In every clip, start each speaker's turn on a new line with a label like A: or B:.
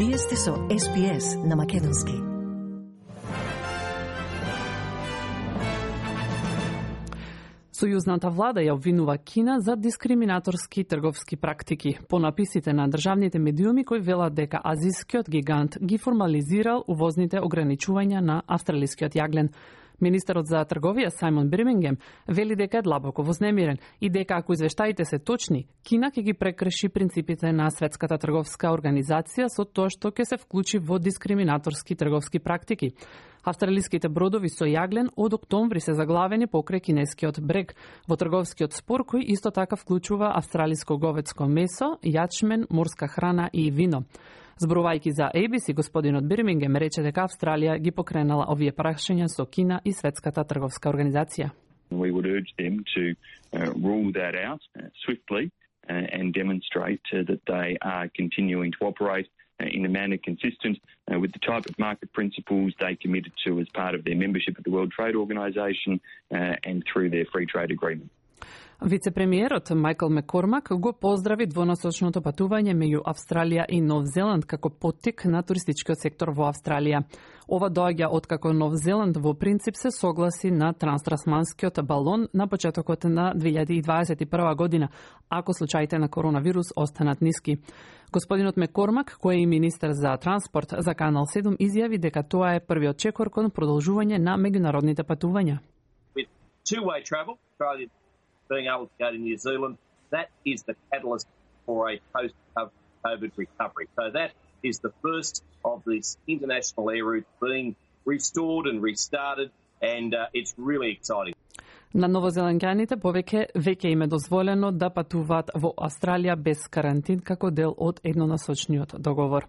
A: Вие сте со SPS на Македонски.
B: Сојузната влада ја обвинува Кина за дискриминаторски трговски практики по написите на државните медиуми кои велат дека азискиот гигант ги формализирал увозните ограничувања на австралискиот јаглен. Министерот за трговија Сајмон Бирмингем вели дека е длабоко вознемирен и дека ако извештаите се точни, Кина ќе ги прекрши принципите на Светската трговска организација со тоа што ќе се вклучи во дискриминаторски трговски практики. Австралиските бродови со јаглен од октомври се заглавени покрај кинескиот брег во трговскиот спор кој исто така вклучува австралиско говедско месо, јачмен, морска храна и вино. Зборувајќи за ABC, господинот Бирмингем рече дека Австралија ги покренала овие прашања со Кина и Светската трговска организација.
C: We would urge them to rule that out swiftly and demonstrate that they are continuing to operate in a manner consistent with the type of market principles they committed to as part of their membership of the World Trade Organization and through their free trade agreement.
B: Вице-премиерот Майкл Маккормак го поздрави двонасочното патување меѓу Австралија и Нов Зеланд како поттик на туристичкиот сектор во Австралија. Ова доаѓа откако Нов Зеланд во принцип се согласи на транстасманскиот балон на почетокот на 2021 година, ако случаите на коронавирус останат ниски. Господинот Маккормак, кој е и министер за транспорт за Канал 7, изјави дека тоа е првиот чекор кон продолжување на меѓународните патувања.
D: With two-way travel, being able to go to New Zealand, that is the catalyst for a post-COVID recovery. So that is the first of these international air routes being restored and restarted, and it's really exciting.
B: На новозеландјаните веќе им е дозволено да патуваат во Австралија без карантин како дел од еднонасочниот договор.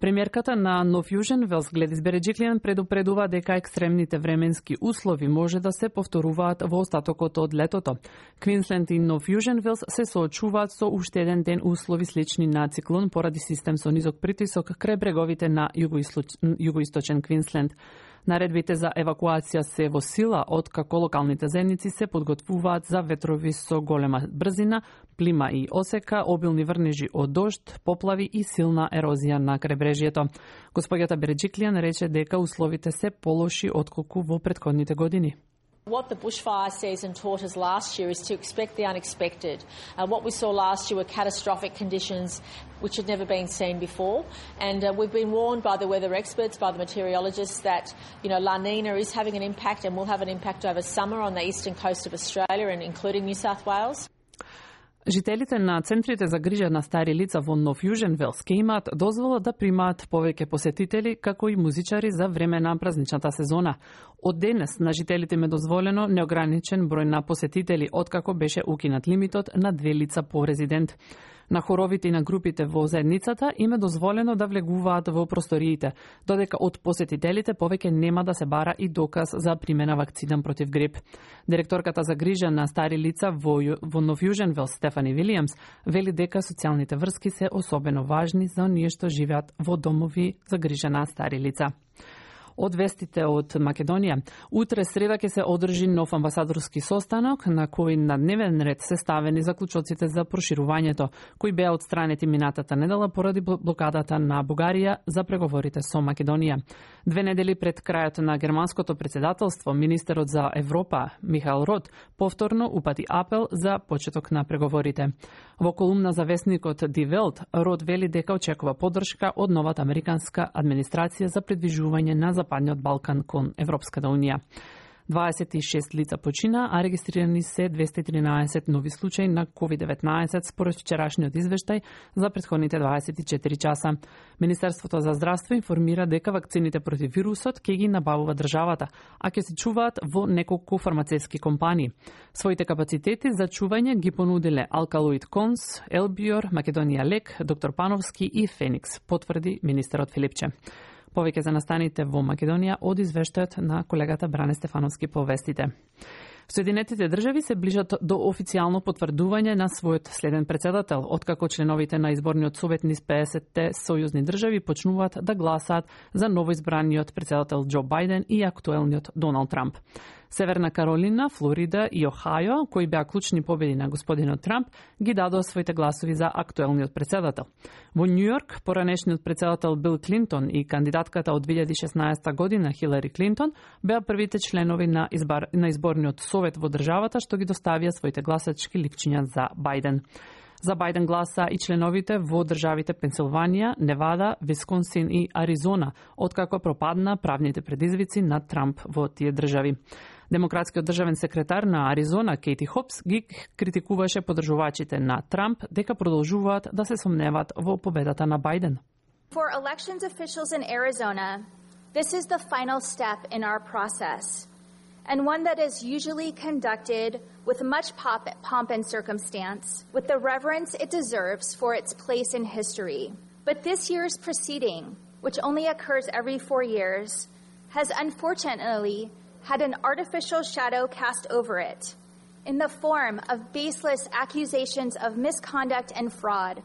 B: Премиерката на Нов Јужен Велс Гледис Береджиклијан предупредува дека екстремните временски услови може да се повторуваат во остатокот од летото. Квинсленд и Нов Јужен Велс се соочуваат со уште еден ден услови слични на циклон поради систем со низок притисок крај бреговите на југоисточен Квинсленд. Наредбите за евакуација се во сила откако локалните заедници се подготвуваат за ветрови со голема брзина, плима и осека, обилни врнежи од дожд, поплави и силна ерозија на крайбрежјето. Господјата Береджиклијан рече дека условите се полоши отколку во претходните години.
E: What the bushfire season taught us last year is to expect the unexpected. What we saw last year were catastrophic conditions which had never been seen before. And we've been warned by the weather experts, by the meteorologists, that La Nina is having an impact and will have an impact over summer on the eastern coast of Australia and including New South Wales.
B: Жителите на центрите за грижа на стари лица во Нов Јужен Велс ке имаат дозвола да примаат повеќе посетители, како и музичари за време на празничната сезона. Од денес на жителите им е дозволено неограничен број на посетители, откако беше укинат лимитот на 2 лица по резидент. На хоровите и на групите во заедницата им е дозволено да влегуваат во просториите, додека од посетителите повеќе нема да се бара и доказ за примена вакцина против грип. Директорката за грижа на стари лица во Нов Јужен Велс Стефани Вилијамс вели дека социјалните врски се особено важни за оние што живеат во домови за грижа на стари лица. Од вестите од Македонија. Утре среда ќе се одржи нов амбасадорски состанок на кој на дневен ред се ставени заклучоците за проширувањето, кои беа отстранети минатата недела поради блокадата на Бугарија за преговорите со Македонија. 2 недели пред крајот на германското председателство, министерот за Европа Михаел Рот повторно упати апел за почеток на преговорите. Во колумна за весникот Die Welt, Рот вели дека очекува поддршка од новата американска администрација за придвижување на Западниот Балкан кон Европската Унија. 26 лица почина, а регистрирани се 213 нови случаи на COVID-19 според вчерашниот извештај за претходните 24 часа. Министерството за здравство информира дека вакцините против вирусот ќе ги набавува државата, а ќе се чуваат во неколку фармацевски компании. Своите капацитети за чување ги понудиле Алкалоид Конс, Елбиор, Македонија Лек, Доктор Пановски и Феникс, потврди министерот Филипче. Повеќе за настаните во Македонија од извештајот на колегата Бране Стефановски по вестите. Соединетите држави се ближат до официјално потврдување на својот следен председател, откако членовите на изборниот совет низ 50-те сојузни држави почнуваат да гласаат за новоизбраниот председател Џо Бајден и актуелниот Доналд Трамп. Северна Каролина, Флорида и Охајо, кои беа клучни победи на господинот Трамп, ги дадоа своите гласови за актуелниот председател. Во Њујорк, поранешниот председател Бил Клинтон и кандидатката од 2016 година Хилари Клинтон беа првите членови на изборниот совет во државата што ги доставија своите гласачки ликчиња за Бајден. За Бајден гласа и членовите во државите Пенсилванија, Невада, Висконсин и Аризона, откако пропадна правните предизвици на Трамп во тие држави. Демократскиот државен секретар на Аризона, Кейти Хопс, ги критикуваше подржувачите на Трамп дека продолжуваат да се сомневаат во победата на Бајден.
F: For elections officials in Arizona, this is the final step in our process, and one that is usually conducted with much pomp and circumstance, with the reverence it deserves for its place in history. But this year's proceeding, which only occurs every 4 years, has unfortunately had an artificial shadow cast over it in the form of baseless accusations of misconduct and fraud.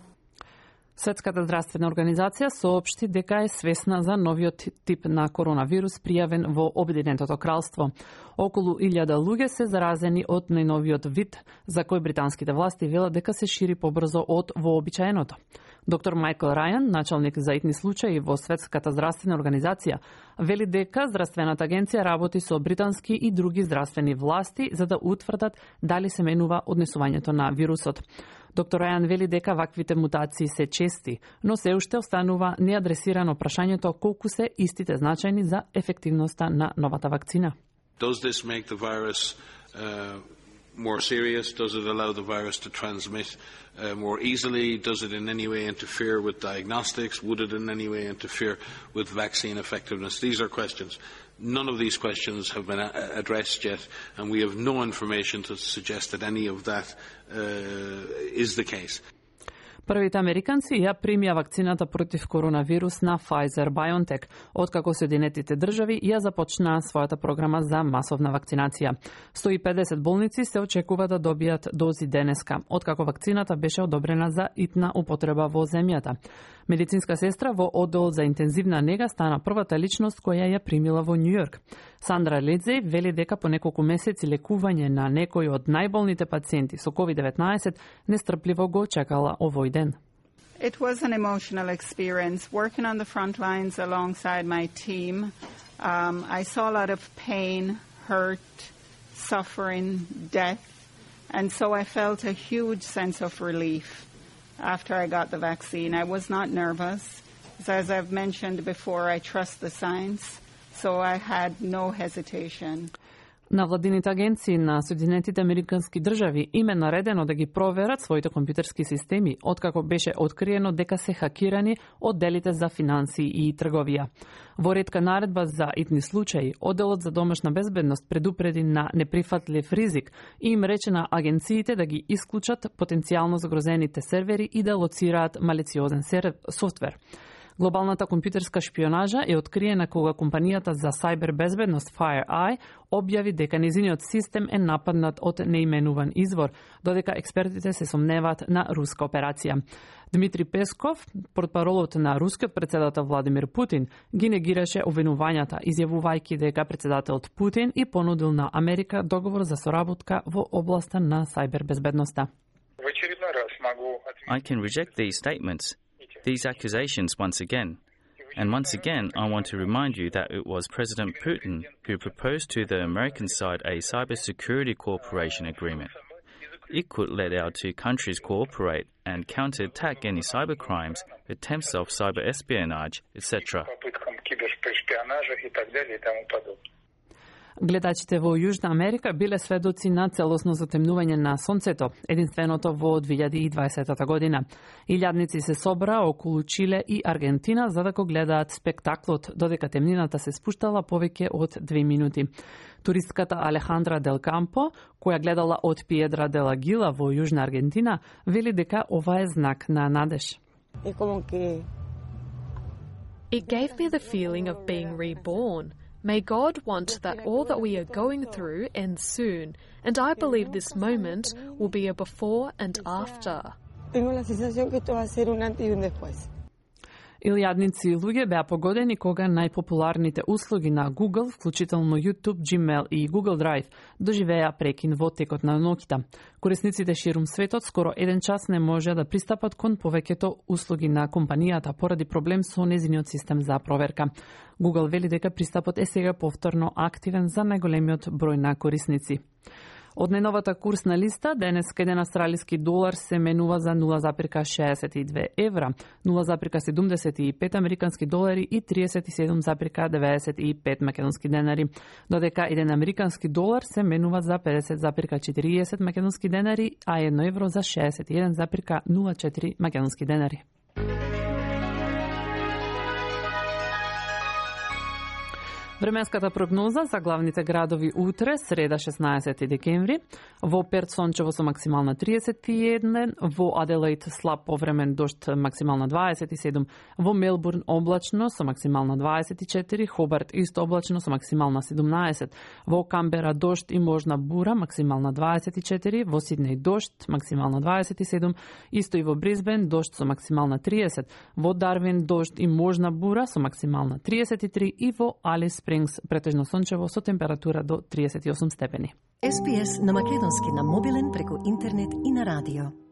B: Светската здравствена организација соопшти дека е свесна за новиот тип на коронавирус пријавен во Обединетото кралство. Околу 1000 луѓе се заразени од најновиот вид, за кој британските власти велат дека се шири побрзо од вообичаеното. Доктор Майкл Рајан, началник за итни случаи во Светската здравствена организација, вели дека здравствената агенција работи со британски и други здравствени власти за да утврдат дали се менува однесувањето на вирусот. Доктор Рајан вели дека ваквите мутации се чести, но се уште останува неадресирано прашањето колку се истите значајни за ефективноста на новата вакцина.
G: Does this make the virus more serious? Does it allow the virus to transmit more easily? Does it in any way interfere with diagnostics? Would it in any way interfere with vaccine effectiveness? These are questions. None of these questions have been addressed yet, and we have no information to suggest that any of that is the case.
B: Првите американци ја примија вакцината против коронавирус на Pfizer-BioNTech, откако Соединетите држави ја започнаа својата програма за масовна вакцинација. 150 болници се очекува да добијат дози денеска, откако вакцината беше одобрена за итна употреба во земјата. Медицинска сестра во оддел за интензивна нега стана првата личност која ја примила во Њујорк. Сандра Ледзеј вели дека по неколку месеци лекување на некои од најболните пациенти со COVID-19 нестрпливо го чекала овој ден.
H: It was an emotional experience working on the front lines alongside my team. I saw a lot of pain, hurt, suffering, death, and so I felt a huge sense of relief after I got the vaccine. I was not nervous. As I've mentioned before, I trust the science, so I had no hesitation.
B: На владините агенции на Соединетите Американски држави им е наредено да ги проверат своите компјутерски системи, откако беше откриено дека се хакирани одделите за финансии и трговија. Во ретка наредба за итни случаи, одделот за домашна безбедност предупреди на неприфатлив ризик и им рече на агенциите да ги исклучат потенцијално загрозените сервери и да лоцираат малициозен софтвер. Глобалната компјутерска шпионажа е откриена кога компанијата за сајбер безбедност FireEye објави дека незиниот систем е нападнат од неименуван извор, додека експертите се сомневаат на руска операција. Дмитрий Песков, портпаролот на рускиот председател Владимир Путин, ги негираше обвинувањата, изјавувајќи дека председателот Путин и понудил на Америка договор за соработка во областа на сајбер безбедноста.
I: I can reject these statements. These accusations once again. And once again, I want to remind you that it was President Putin who proposed to the American side a cybersecurity cooperation agreement. It could let our two countries cooperate and counterattack any cybercrimes, attempts of cyber espionage, etc.
B: Гледачите во Јужна Америка биле сведоци на целосно затемнување на сонцето, единственото во 2020 година. Илјадници се собраа околу Чиле и Аргентина за да го гледаат спектаклот, додека темнината се спуштала повеќе од 2 минути. Туристката Алехандра Дел Кампо, која гледала од Пиедра де ла Гила во Јужна Аргентина, вели дека ова е знак на надеж.
J: It gave me the feeling of being reborn. May God want that all that we are going through ends soon, and I believe this moment will be a before and after.
B: Илјадници луѓе беа погодени кога најпопуларните услуги на Google, вклучително YouTube, Gmail и Google Drive, доживеа прекин во текот на ноќта. Корисниците ширум светот скоро еден час не може да пристапат кон повеќето услуги на компанијата поради проблем со незиниот систем за проверка. Google вели дека пристапот е сега повторно активен за најголемиот број на корисници. Од најновата курсна листа, денеска еден австралиски долар се менува за 0,62 евра, 0,75 американски долари и 37,95 македонски денари, додека еден американски долар се менува за 50,40 македонски денари, а 1 евро за 61,04 македонски денари. Временската прогноза за главните градови утре, среда 16 декември, во Перт сончево со максимална 31, во Аделаид слаб повремен дожд максимална 27, во Мелбурн облачно со максимална 24, Хобарт исто облачно со максимална 17, во Камбера дожд и можна бура максимална 24, во Сиднеј дожд максимална 27, исто и во Брисбен дожд со максимална 30, во Дарвин дожд и можна бура со максимална 33 и во Алис претежно сончево со температура до 38 степени.
A: SPS на македонски на мобилен преку интернет и на радио.